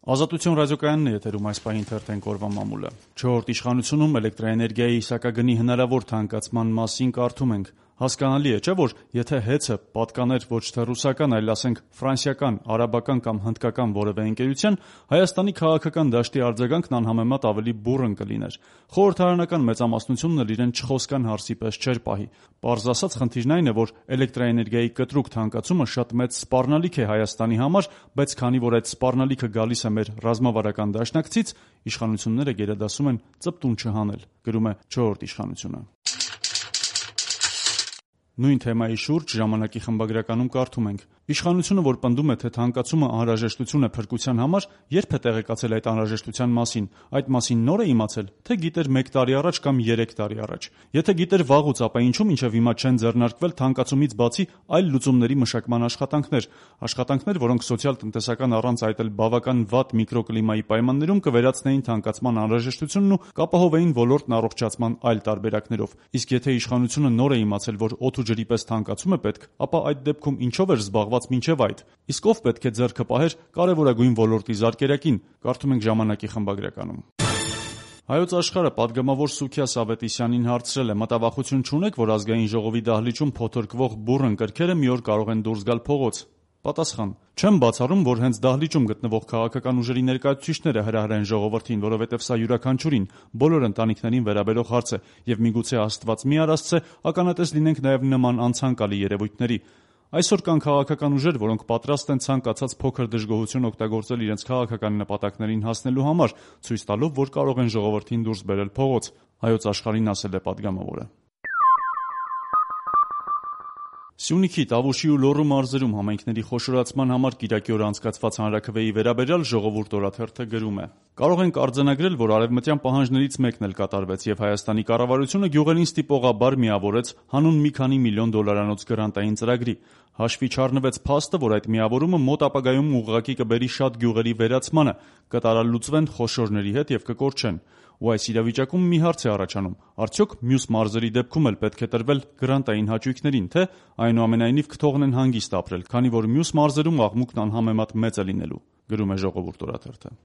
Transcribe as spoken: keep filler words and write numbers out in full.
Ազատություն ռադիոկայանն է եթերում այս պահին թերթենք օրվա մամուլը։ Չորրորդ իշխանությունում էլեկտրաէներգիայի իսակագնի հնարավոր թանկացման մասին կարդում ենք. հասկանալի է, չէ՞ որ եթե հեծը պատկաներ ոչ թե ռուսական, այլ ասենք ֆրանսիական, արաբական կամ հնդկական որևէ ընկերության, Հայաստանի քաղաքական դաշտի արձագանքն անհամեմատ ավելի բուռն կլիներ։ Խորհրդարանական մեծամասնությունն էլ իրեն չխոսքան հարսի պես չէր պահի։ Պարզ ասած, խնդիրն այն է, որ էլեկտրաէներգիայի կտրուկ թանկացումը շատ մեծ սպառնալիք է Հայաստանի համար, բայց քանի որ այդ սպառնալիքը գալիս է մեր ռազմավարական դաշնակցից, իշխանությունները գերադասում են ծպտուն չհանել, գրում է չորրորդ իշխանությունը։ Նույն թեմայի շուրջ ժամանակի խմբագրականում կարդում ենք. Իշխանությունը, որ պնդում է, թե թանկացումը անհրաժեշտություն է փրկության համար, երբ է տեղեկացել այդ անհրաժեշտության մասին, այդ մասին նոր է իմացել, թե գիտեր մեկ տարի առաջ կամ երեք տարի առաջ։ Եթե գիտեր վաղուց, ապա ինչու մինչև հիմա չեն ձեռնարկվել թանկացումից բացի այլ լուծումների մշակման աշխատանքներ, աշխատանքներ, որոնք սոցիալ-տնտեսական առանց այդ էլ բավական վատ միկրոկլիմայի պայմաններում կվերացնեին թանկացման անհրաժեշտությունն ու կապահովեին ոլորտն առողջացման այլ տարբերակներով։ Իսկ եթե իշխանությունը նոր է իմացել, որ օդ ու ջրի պես թանկացում է պետք, ապա այդ դեպքում ինչով էր զբաղված մինչև այդ։ Իսկ ով պետք է ձեռքը պահեր կարևորագույն ոլորտի զարկերակին, կարդում ենք ժամանակի խմբագրականում։ Հայոց աշխարհը պատգամավոր Սուքիաս Ավետիսյանին հարցրել է. մտավախություն չունեք, որ ազգային ժողովի դահլիճում փոթորկվող բուռն կրքերը մի օր կարող են դուրս գալ փողոց։ Պատասխան. չեմ բացառում, որ հենց դահլիճում գտնվող քաղաքական ուժերի ներկայացուցիչները հրահրեն ժողովրդին, որովհետև սա յուրաքանչյուրին, բոլոր ընտանիքներին վերաբերող հարց է, եւ միգուցե Աստված մի արասցե ականատես լինենք նաեւ նման անցանկալի երևույթների։ Այսօր կան քաղաքական ուժեր, որոնք պատրաստ են ցանկացած փոքր դժգոհություն օգտագործել իրենց քաղաքական նպատակներին հասնելու համար, ցույց տալով, որ կարող են ժողովրդին դուրս բերել փողոց։ Հայոց աշխարհին ասել է պատգամավորը։ Սյունիքի, Տավուշի ու Լոռու մարզերում համայնքների խոշորացման համար կիրակի օր անցկացված հանրաքվեի վերաբերյալ Ժողովուրդ օրաթերթը գրում է. Կարող ենք արձանագրել, որ արևմտյան պահանջներից մեկն էլ կատարվեց եւ Հայաստանի կառավարությունը գյուղերին ստիպողաբար միավորեց հանուն մի քանի միլիոն դոլարանոց գրանտային ծրագրի։ Հաշվի չառնվեց փաստը, որ այդ միավորումը մոտ ապագայում ուղղակի կբերի շատ գյուղերի վերացմանը, կտարալուծվեն խոշորների հետ եւ կկորչեն։ Ու այս իրավիճակում մի հարց է առաջանում. արդյոք մյուս մարզերի դեպքում էլ պետք է տրվել գրանտային հաճույքներին, թե այնուամենայնիվ կթողնեն հանգիստ ապրել, քանի որ մյուս մարզերում աղմուկն անհամեմատ մեծ է լինելու, գրում է Ժողովուրդ օրաթերթը։